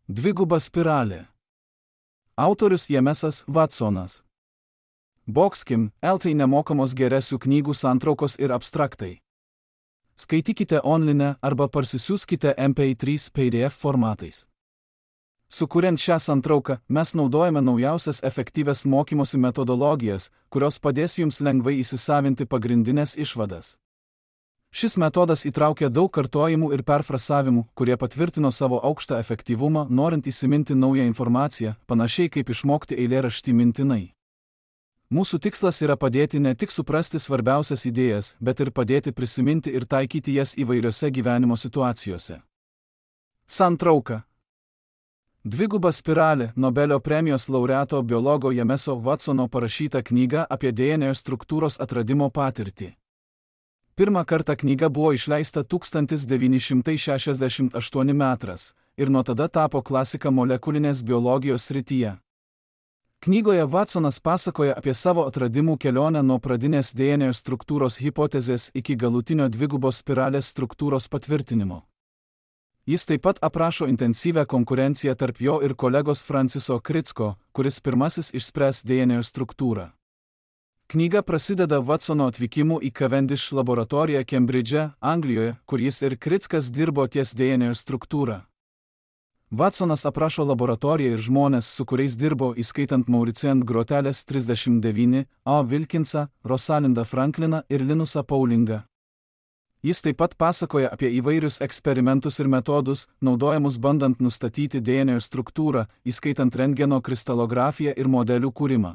Dviguba spiralė. Autorius Jamesas Watsonas. Boxkim, LT nemokamos geresių knygų santraukos ir abstraktai. Skaitykite online arba parsisiųskite MP3 PDF formatais. Sukuriant šią santrauką, mes naudojame naujausias efektyvias mokymosi metodologijas, kurios padės jums lengvai įsisavinti pagrindinės išvadas. Šis metodas įtraukia daug kartojimų ir perfrasavimų, kurie patvirtino savo aukštą efektyvumą, norint įsiminti naują informaciją, panašiai kaip išmokti eilėraštį mintinai. Mūsų tikslas yra padėti ne tik suprasti svarbiausias idėjas, bet ir padėti prisiminti ir taikyti jas įvairiose gyvenimo situacijose. Santrauka. Dviguba spiralė, Nobelio premijos laureato biologo Jameso Watsono parašyta knyga apie DNR struktūros atradimo patirtį. Pirmą kartą knyga buvo išleista 1968 metais ir nuo tada tapo klasika molekulinės biologijos srityje. Knygoje Watsonas pasakoja apie savo atradimų kelionę nuo pradinės DNR struktūros hipotezės iki galutinio dvigubos spiralės struktūros patvirtinimo. Jis taip pat aprašo intensyvią konkurenciją tarp jo ir kolegos Franciso Crick'o, kuris pirmasis išspręs DNR struktūrą. Knyga prasideda Watsono atvykimu į Cavendish laboratoriją Kembridže, Anglijoje, kur jis ir Crick'as dirbo ties DNR struktūra. Watsonas aprašo laboratoriją ir žmones, su kuriais dirbo, įskaitant Mauricien Groteles 39, A. Wilkinsą, Rosalindą Frankliną ir Linusą Paulingą. Jis taip pat pasakoja apie įvairius eksperimentus ir metodus, naudojamus bandant nustatyti DNR struktūrą, įskaitant rentgeno kristalografiją ir modelių kūrimą.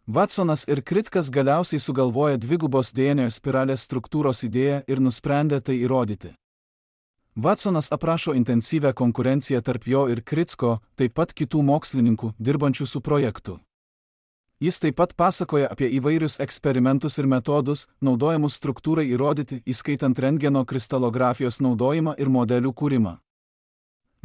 Watsonas ir Crick'as galiausiai sugalvoja dvigubos DNR spiralės struktūros idėją ir nusprendė tai įrodyti. Watsonas aprašo intensyvią konkurenciją tarp jo ir Crick'o, taip pat kitų mokslininkų, dirbančių su projektu. Jis taip pat pasakoja apie įvairius eksperimentus ir metodus, naudojamus struktūrai įrodyti, įskaitant rentgeno kristalografijos naudojimą ir modelių kūrimą.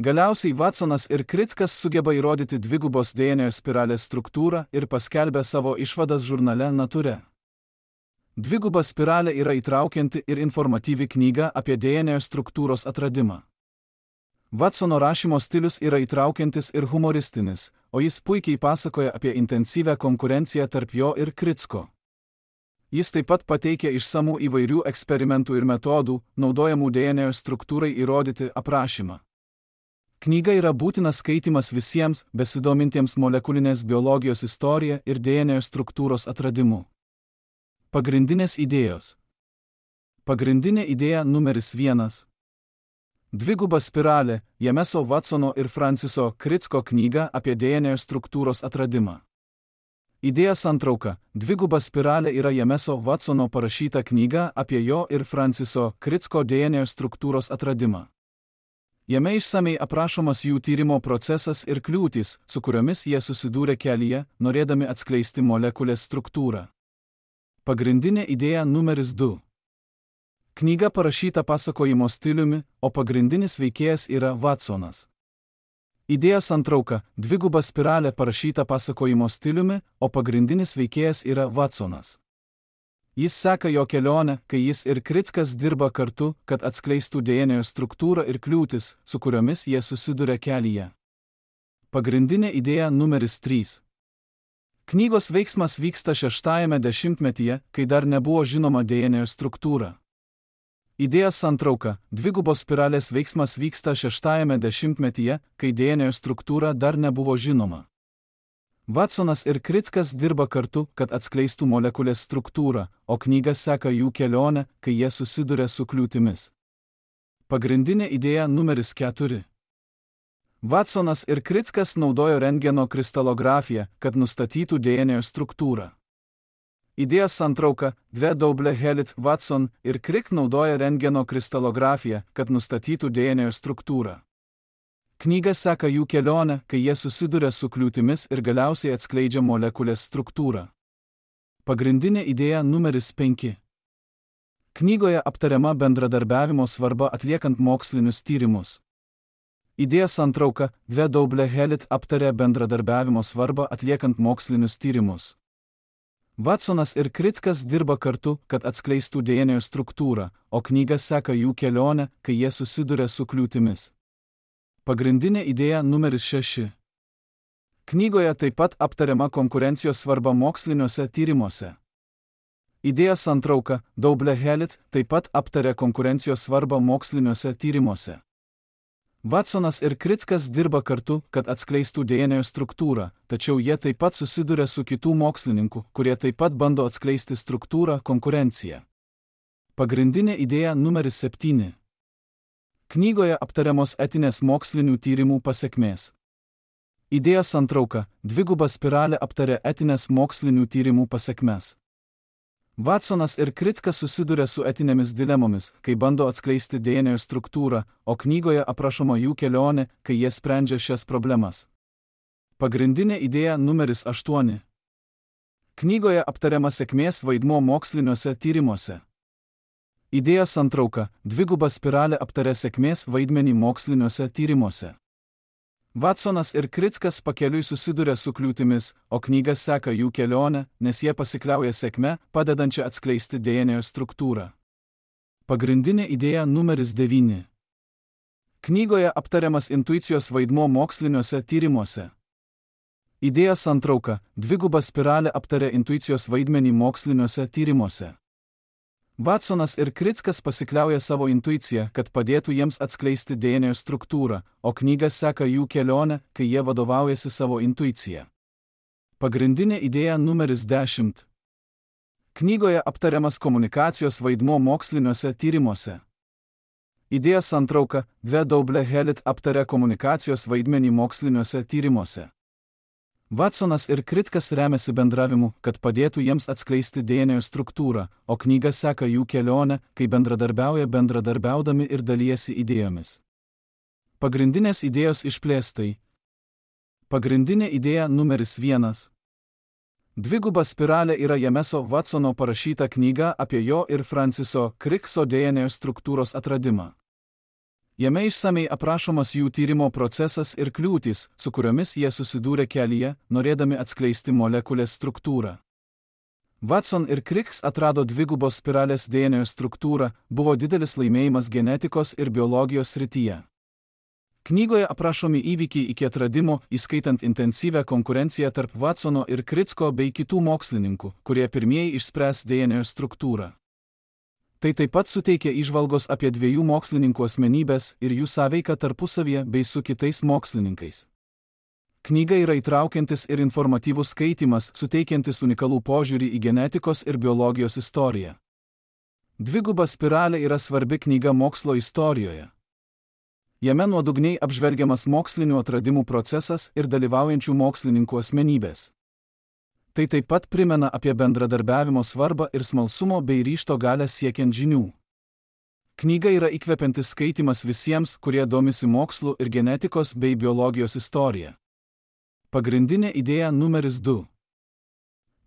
Galiausiai Watsonas ir Crick'as sugeba įrodyti dvigubos DNR spiralės struktūrą ir paskelbia savo išvadas žurnale Nature. Dviguba spiralė yra įtraukianti ir informatyvi knyga apie DNR struktūros atradimą. Watsono rašymo stilius yra įtraukiantis ir humoristinis, o jis puikiai pasakoja apie intensyvią konkurenciją tarp jo ir Crick'o. Jis taip pat pateikia išsamų įvairių eksperimentų ir metodų, naudojamų DNR struktūrai įrodyti aprašymą. Knyga yra būtinas skaitymas visiems, besidomintiems molekulinės biologijos istorija ir DNR struktūros atradimu. Pagrindinės idėjos. Pagrindinė idėja numeris 1. Dviguba spiralė, Jameso Watsono ir Franciso Crick'o knyga apie DNR struktūros atradimą. Idėja santrauka. Dviguba spiralė yra Jameso Watsono parašyta knyga apie jo ir Franciso Crick'o DNR struktūros atradimą. Jame išsamei aprašomas jų tyrimo procesas ir kliūtys, su kuriomis jie susidūrė kelyje, norėdami atskleisti molekulės struktūrą. Pagrindinė idėja numeris 2. Knyga parašyta pasakojimo stiliumi, o pagrindinis veikėjas yra Watsonas. Idėja santrauka. Dviguba spiralė parašyta pasakojimo stiliumi, o pagrindinis veikėjas yra Watsonas. Jis seka jo kelionę, kai jis ir Crick'as dirba kartu, kad atskleistų DNR struktūrą ir kliūtis, su kuriomis jie susiduria kelyje. Pagrindinė idėja numeris 3. Knygos veiksmas vyksta 6-ajame dešimtmetyje, kai dar nebuvo žinoma DNR struktūra. Idėja santrauka. Dvigubos spiralės veiksmas vyksta 6-ajame dešimtmetyje, kai DNR struktūra dar nebuvo žinoma. Watsonas ir Crick'as dirba kartu, kad atskleistų molekulės struktūrą, o knyga seka jų kelionę, kai jie susiduria su kliūtimis. Pagrindinė idėja numeris 4. Watsonas ir Crick'as naudojo rentgeno kristalografiją, kad nustatytų DNR struktūrą. Idėja santrauka. W. Helit, Watson ir Crick naudoja rentgeno kristalografiją, kad nustatytų DNR struktūrą. Knyga seka jų kelionę, kai jie susiduria su kliūtimis ir galiausiai atskleidžia molekulės struktūrą. Pagrindinė idėja numeris 5. Knygoje aptariama bendradarbiavimo svarba atliekant mokslinius tyrimus. Idėja santrauka. W. Helit aptarė bendradarbiavimo svarbą atliekant mokslinius tyrimus. Watsonas ir Crick'as dirba kartu, kad atskleistų DNR struktūrą, o knyga seka jų kelionę, kai jie susiduria su kliūtimis. Pagrindinė idėja numeris 6. Knygoje taip pat aptariama konkurencijos svarba moksliniuose tyrimuose. Idėja santrauka Double-Helix taip pat aptarė konkurencijos svarbą moksliniuose tyrimuose. Watsonas ir Krickas dirba kartu, kad atskleistų DNA struktūrą, tačiau jie taip pat susiduria su kitų mokslininkų, kurie taip pat bando atskleisti struktūrą konkurenciją. Pagrindinė idėja numeris 7. Knygoje aptariamos etinės mokslinių tyrimų pasekmės. Idėja santrauka Dviguba spiralė aptarė etinės mokslinių tyrimų pasekmes. Watsonas ir Krickas susiduria su etinėmis dilemomis, kai bando atskleisti DNA struktūrą, o knygoje aprašoma jų kelionė, kai jie sprendžia šias problemas. Pagrindinė idėja numeris 8. Knygoje aptariama sėkmės vaidmuo moksliniuose tyrimuose. Idėja santrauka Dviguba spiralė aptarė sėkmės vaidmenį moksliniuose tyrimuose. Watsonas ir Krickas pakeliui susiduria su kliūtimis, o knyga seka jų kelionę, nes jie pasikliauja sėkme, padedančią atskleisti DNA struktūrą. Pagrindinė idėja numeris 9. Knygoje aptariamas intuicijos vaidmuo moksliniuose tyrimuose. Idėja santrauka Dviguba spiralė aptarė intuicijos vaidmenį moksliniuose tyrimuose. Watsonas ir Krickas pasikliauja savo intuiciją, kad padėtų jiems atskleisti DNA struktūrą, o knyga seka jų kelionę, kai jie vadovaujasi savo intuiciją. Pagrindinė idėja numeris 10. Knygoje aptariamas komunikacijos vaidmuo moksliniuose tyrimuose. Idėja santrauka Double-Helix aptarė komunikacijos vaidmenį moksliniuose tyrimuose. Watsonas ir Krickas remiasi bendravimu, kad padėtų jiems atskleisti DNA struktūrą, o knyga seka jų kelionę, kai bendradarbiaudami ir dalijasi idėjomis. Pagrindinės idėjos išplėstai. Pagrindinė idėja numeris 1. Dviguba spiralė yra Jameso Watsono parašyta knyga apie jo ir Franciso Crickso DNA struktūros atradimą. Jame išsamei aprašomas jų tyrimo procesas ir kliūtys, su kuriomis jie susidūrė kelyje, norėdami atskleisti molekulės struktūrą. Watson ir Cricks atrado dvigubos spiralės DNA struktūrą, buvo didelis laimėjimas genetikos ir biologijos srityje. Knygoje aprašomi įvykiai iki atradimo, įskaitant intensyvę konkurenciją tarp Watsono ir Cricko bei kitų mokslininkų, kurie pirmieji išspręs DNA struktūrą. Tai taip pat suteikia įžvalgos apie dviejų mokslininkų asmenybės ir jų sąveiką tarpusavyje bei su kitais mokslininkais. Knyga yra įtraukiantis ir informatyvus skaitymas, suteikiantis unikalų požiūrį į genetikos ir biologijos istoriją. Dviguba spiralė yra svarbi knyga mokslo istorijoje. Jame nuodugniai apžvelgiamas mokslinių atradimų procesas ir dalyvaujančių mokslininkų asmenybės. Tai taip pat primena apie bendradarbiavimo svarbą ir smalsumo bei ryžto galę siekiant žinių. Knyga yra įkvepiantis skaitimas visiems, kurie domisi mokslu ir genetikos bei biologijos istorija. Pagrindinė idėja numeris 2.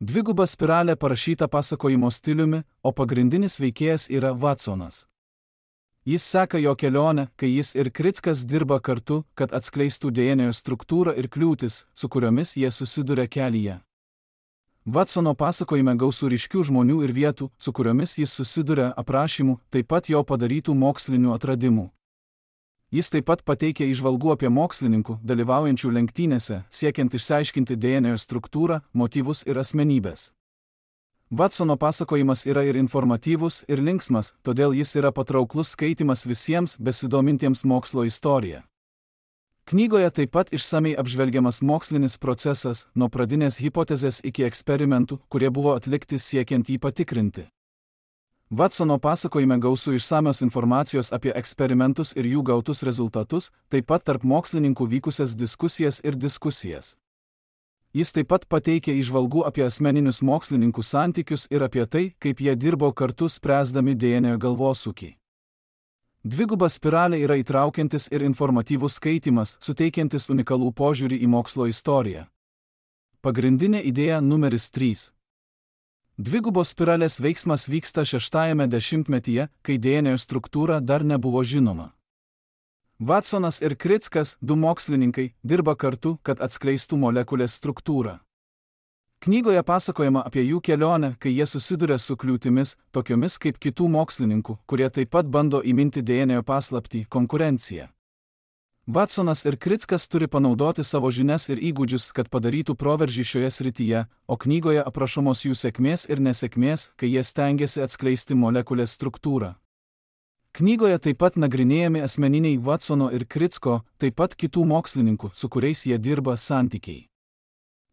Dviguba spiralė parašyta pasakojimo stiliumi, o pagrindinis veikėjas yra Watsonas. Jis seka jo kelionę, kai jis ir Krickas dirba kartu, kad atskleistų DNA struktūrą ir kliūtis, su kuriomis jie susiduria kelyje. Watsono pasakojime gausu ryškių žmonių ir vietų, su kuriomis jis susiduria aprašymų, taip pat jo padarytų mokslinių atradimų. Jis taip pat pateikia įžvalgų apie mokslininkų, dalyvaujančių lenktynėse, siekiant išsiaiškinti DNA struktūrą, motyvus ir asmenybės. Watsono pasakojimas yra ir informatyvus, ir linksmas, todėl jis yra patrauklus skaitimas visiems besidomintiems mokslo istorija. Knygoje taip pat išsamei apžvelgiamas mokslinis procesas, nuo pradinės hipotezės iki eksperimentų, kurie buvo atlikti siekiant jį patikrinti. Watsono pasakojime gausu išsamios informacijos apie eksperimentus ir jų gautus rezultatus, taip pat tarp mokslininkų vykusias diskusijas ir diskusijas. Jis taip pat pateikia įžvalgų apie asmeninius mokslininkų santykius ir apie tai, kaip jie dirbo kartu spręsdami DNA galvosūkį. Dviguba spiralė yra įtraukiantis ir informatyvus skaitimas, suteikiantis unikalų požiūrį į mokslo istoriją. Pagrindinė idėja numeris 3. Dvigubos spiralės veiksmas vyksta 6-ame dešimtmetyje, kai DNA struktūra dar nebuvo žinoma. Watsonas ir Krickas, du mokslininkai, dirba kartu, kad atskleistų molekulės struktūrą. Knygoje pasakojama apie jų kelionę, kai jie susiduria su kliūtimis, tokiomis kaip kitų mokslininkų, kurie taip pat bando įminti DNA paslaptį – konkurenciją. Watsonas ir Krickas turi panaudoti savo žinias ir įgūdžius, kad padarytų proveržį šioje srityje, o knygoje aprašomos jų sėkmės ir nesėkmės, kai jie stengiasi atskleisti molekulės struktūrą. Knygoje taip pat nagrinėjami asmeniniai Watsono ir Kricko, taip pat kitų mokslininkų, su kuriais jie dirba, santykiai.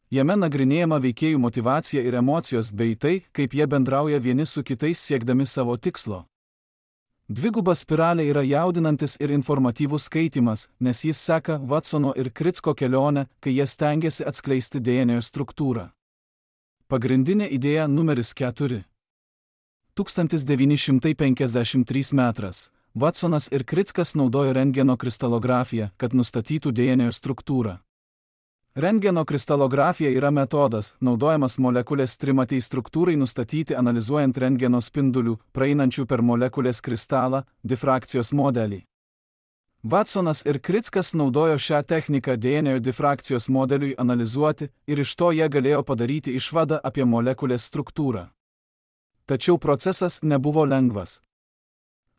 Jame nagrinėjama veikėjų motyvacija ir emocijos bei tai, kaip jie bendrauja vieni su kitais siekdami savo tikslo. Dviguba spiralė yra jaudinantis ir informatyvus skaitimas, nes jis seka Watsono ir Kricko kelionę, kai jie stengiasi atskleisti DNA struktūrą. Pagrindinė idėja numeris 4. 1953 metras. Watsonas ir Krickas naudojo rentgeno kristalografiją, kad nustatytų DNA struktūrą. Rentgeno kristalografija yra metodas, naudojamas molekulės trimatei struktūrai nustatyti analizuojant rentgeno spindulių, praeinančių per molekulės kristalą, difrakcijos modelį. Watsonas ir Krickas naudojo šią techniką DNA difrakcijos modeliui analizuoti ir iš to jie galėjo padaryti išvadą apie molekulės struktūrą. Tačiau procesas nebuvo lengvas.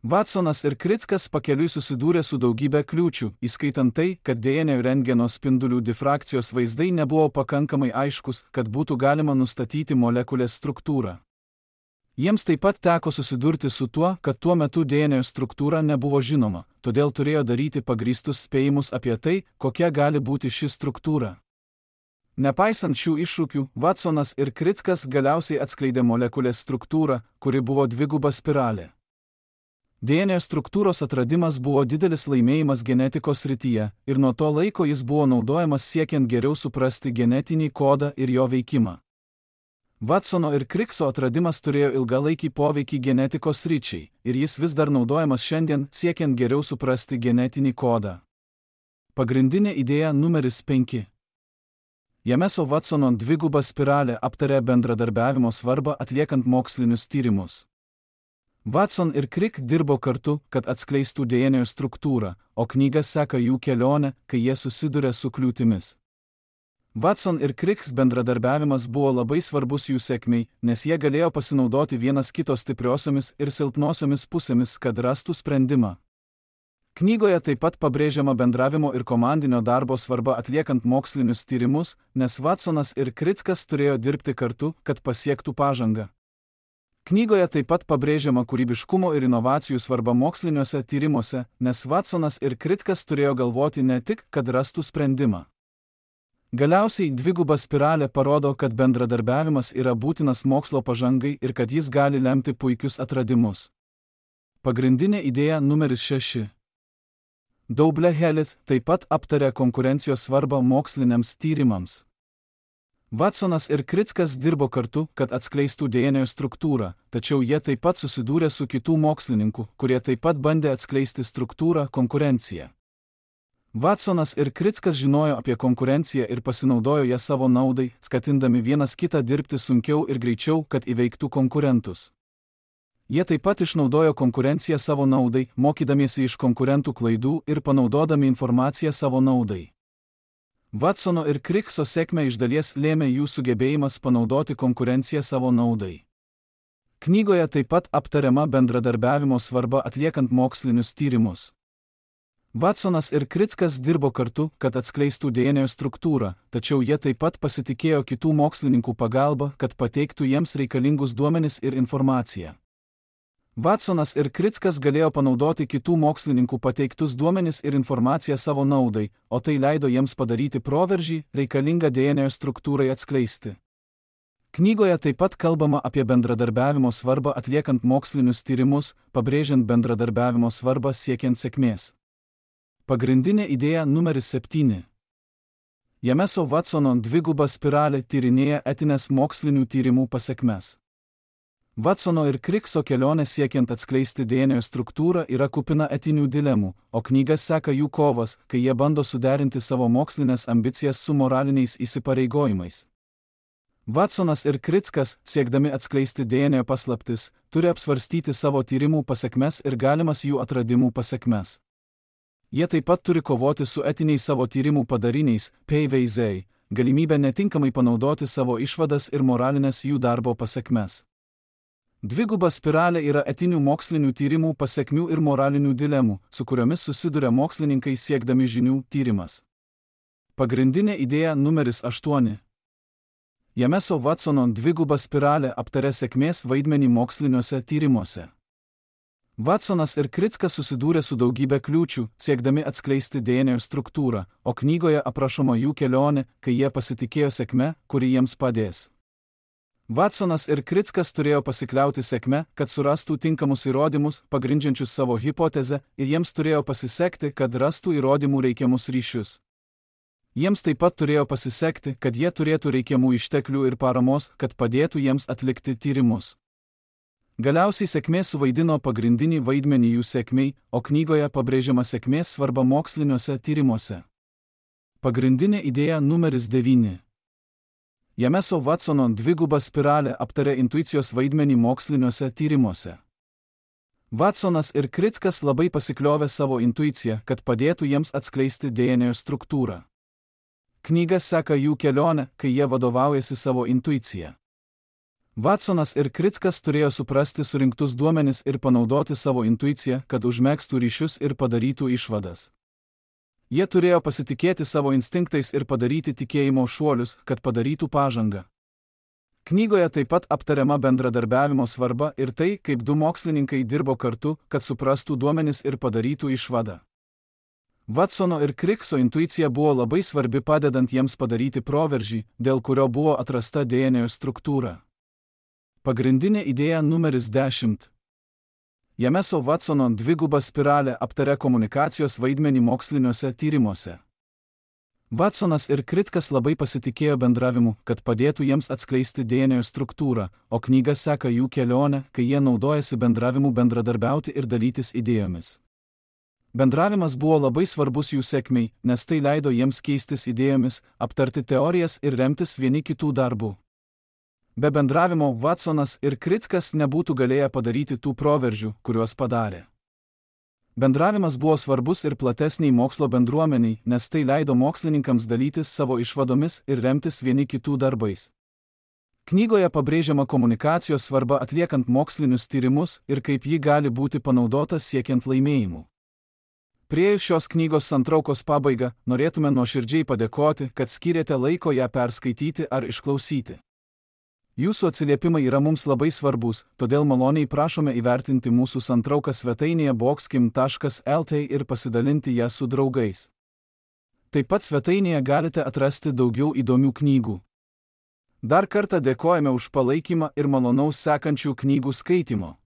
Watsonas ir Krickas pakeliui susidūrė su daugybė kliūčių, įskaitant tai, kad DNA rentgeno spindulių difrakcijos vaizdai nebuvo pakankamai aiškus, kad būtų galima nustatyti molekulės struktūrą. Jiems taip pat teko susidurti su tuo, kad tuo metu DNA struktūra nebuvo žinoma, todėl turėjo daryti pagrįstus spėjimus apie tai, kokia gali būti ši struktūra. Nepaisant šių iššūkių, Watsonas ir Krickas galiausiai atskleidė molekulės struktūrą, kuri buvo dviguba spiralė. DNA struktūros atradimas buvo didelis laimėjimas genetikos srityje ir nuo to laiko jis buvo naudojamas siekiant geriau suprasti genetinį kodą ir jo veikimą. Watsono ir Kricko atradimas turėjo ilgalaikį poveikį genetikos sričiai ir jis vis dar naudojamas šiandien siekiant geriau suprasti genetinį kodą. Pagrindinė idėja numeris 5. Jameso Watsono dviguba spiralė aptarė bendradarbiavimo svarbą atliekant mokslinius tyrimus. Watson ir Crick dirbo kartu, kad atskleistų DNA struktūrą, o knyga seka jų kelionę, kai jie susiduria su kliūtimis. Watson ir Crick bendradarbiavimas buvo labai svarbus jų sėkmei, nes jie galėjo pasinaudoti vienas kito stipriosiomis ir silpnosiomis pusėmis, kad rastų sprendimą. Knygoje taip pat pabrėžiama bendravimo ir komandinio darbo svarba atliekant mokslinius tyrimus, nes Watsonas ir Krickas turėjo dirbti kartu, kad pasiektų pažangą. Knygoje taip pat pabrėžiama kūrybiškumo ir inovacijų svarba moksliniuose tyrimuose, nes Watsonas ir Krickas turėjo galvoti ne tik, kad rastų sprendimą. Galiausiai dviguba spiralė parodo, kad bendradarbiavimas yra būtinas mokslo pažangai ir kad jis gali lemti puikius atradimus. Pagrindinė idėja numeris 6. Double Helix taip pat aptarė konkurencijos svarbą moksliniams tyrimams. Watsonas ir Krickas dirbo kartu, kad atskleistų DNA struktūrą, tačiau jie taip pat susidūrė su kitų mokslininkų, kurie taip pat bandė atskleisti struktūrą konkurenciją. Watsonas ir Krickas žinojo apie konkurenciją ir pasinaudojo ją savo naudai, skatindami vienas kitą dirbti sunkiau ir greičiau, kad įveiktų konkurentus. Jie taip pat išnaudojo konkurenciją savo naudai, mokydamiesi iš konkurentų klaidų ir panaudodami informaciją savo naudai. Watsono ir Crickso sėkmę iš dalies lėmė jų sugebėjimas panaudoti konkurenciją savo naudai. Knygoje taip pat aptariama bendradarbiavimo svarba atliekant mokslinius tyrimus. Watsonas ir Krickas dirbo kartu, kad atskleistų DNA struktūrą, tačiau jie taip pat pasitikėjo kitų mokslininkų pagalba, kad pateiktų jiems reikalingus duomenis ir informaciją. Watsonas ir Krickas galėjo panaudoti kitų mokslininkų pateiktus duomenis ir informaciją savo naudai, o tai leido jiems padaryti proveržį, reikalingą DNA struktūrai atskleisti. Knygoje taip pat kalbama apie bendradarbiavimo svarbą atliekant mokslinius tyrimus, pabrėžiant bendradarbiavimo svarbą siekiant sėkmės. Pagrindinė idėja numeris 7. Jameso Watsono dviguba spiralė tyrinėja etines mokslinių tyrimų pasekmes. Watsono ir Crickso kelionė siekiant atskleisti DNA struktūrą yra kupina etinių dilemų, o knyga seka jų kovas, kai jie bando suderinti savo mokslinės ambicijas su moraliniais įsipareigojimais. Watsonas ir Krickas, siekdami atskleisti DNA paslaptis, turi apsvarstyti savo tyrimų pasekmes ir galimas jų atradimų pasekmes. Jie taip pat turi kovoti su etiniais savo tyrimų padariniais, PVZ, galimybę netinkamai panaudoti savo išvadas ir moralinės jų darbo pasekmes. Dviguba spiralė yra etinių mokslinių tyrimų pasekmių ir moralinių dilemų, su kuriomis susiduria mokslininkai siekdami žinių tyrimas. Pagrindinė idėja numeris 8. Jameso Watsono dviguba spiralė aptaria sėkmės vaidmenį moksliniuose tyrimuose. Watsonas ir Krickas susidūrė su daugybė kliūčių, siekdami atskleisti DNR struktūrą, o knygoje aprašoma jų kelionė, kai jie pasitikėjo sėkme, kuri jiems padės. Watsonas ir Krickas turėjo pasikliauti sėkme, kad surastų tinkamus įrodymus, pagrindžiančius savo hipotezę, ir jiems turėjo pasisekti, kad rastų įrodymų reikiamus ryšius. Jiems taip pat turėjo pasisekti, kad jie turėtų reikiamų išteklių ir paramos, kad padėtų jiems atlikti tyrimus. Galiausiai sėkmė suvaidino pagrindinį vaidmenį jų sėkmei, o knygoje pabrėžiama sėkmės svarba moksliniuose tyrimuose. Pagrindinė idėja numeris 9. Jameso Watsono dviguba spiralė aptarė intuicijos vaidmenį moksliniuose tyrimuose. Watsonas ir Krickas labai pasikliovė savo intuiciją, kad padėtų jiems atskleisti DNR struktūrą. Knyga seka jų kelionę, kai jie vadovaujasi savo intuiciją. Watsonas ir Krickas turėjo suprasti surinktus duomenis ir panaudoti savo intuiciją, kad užmegztų ryšius ir padarytų išvadas. Jie turėjo pasitikėti savo instinktais ir padaryti tikėjimo šuolius, kad padarytų pažangą. Knygoje taip pat aptariama bendradarbiavimo svarba ir tai, kaip du mokslininkai dirbo kartu, kad suprastų duomenis ir padarytų išvadą. Watsono ir Kricko intuicija buvo labai svarbi padedant jiems padaryti proveržį, dėl kurio buvo atrasta DNR struktūra. Pagrindinė idėja numeris 10. Jameso Watsono dviguba spiralė aptaria komunikacijos vaidmenį moksliniuose tyrimuose. Watsonas ir Krickas labai pasitikėjo bendravimu, kad padėtų jiems atskleisti DNR struktūrą, o knyga seka jų kelionę, kai jie naudojasi bendravimu bendradarbiauti ir dalytis idėjomis. Bendravimas buvo labai svarbus jų sėkmei, nes tai leido jiems keistis idėjomis, aptarti teorijas ir remtis vieni kitų darbų. Be bendravimo Watsonas ir Krickas nebūtų galėję padaryti tų proveržių, kuriuos padarė. Bendravimas buvo svarbus ir platesniai mokslo bendruomeniai, nes tai leido mokslininkams dalytis savo išvadomis ir remtis vieni kitų darbais. Knygoje pabrėžiama komunikacijos svarba atliekant mokslinius tyrimus ir kaip ji gali būti panaudota siekiant laimėjimų. Priėjus šios knygos santraukos pabaigą, norėtume nuoširdžiai padėkoti, kad skyrėte laiko ją perskaityti ar išklausyti. Jūsų atsiliepimai yra mums labai svarbus, todėl maloniai prašome įvertinti mūsų santrauką svetainėje boxkim.lt ir pasidalinti ją su draugais. Taip pat svetainėje galite atrasti daugiau įdomių knygų. Dar kartą dėkojame už palaikymą ir malonaus sekančių knygų skaitimo.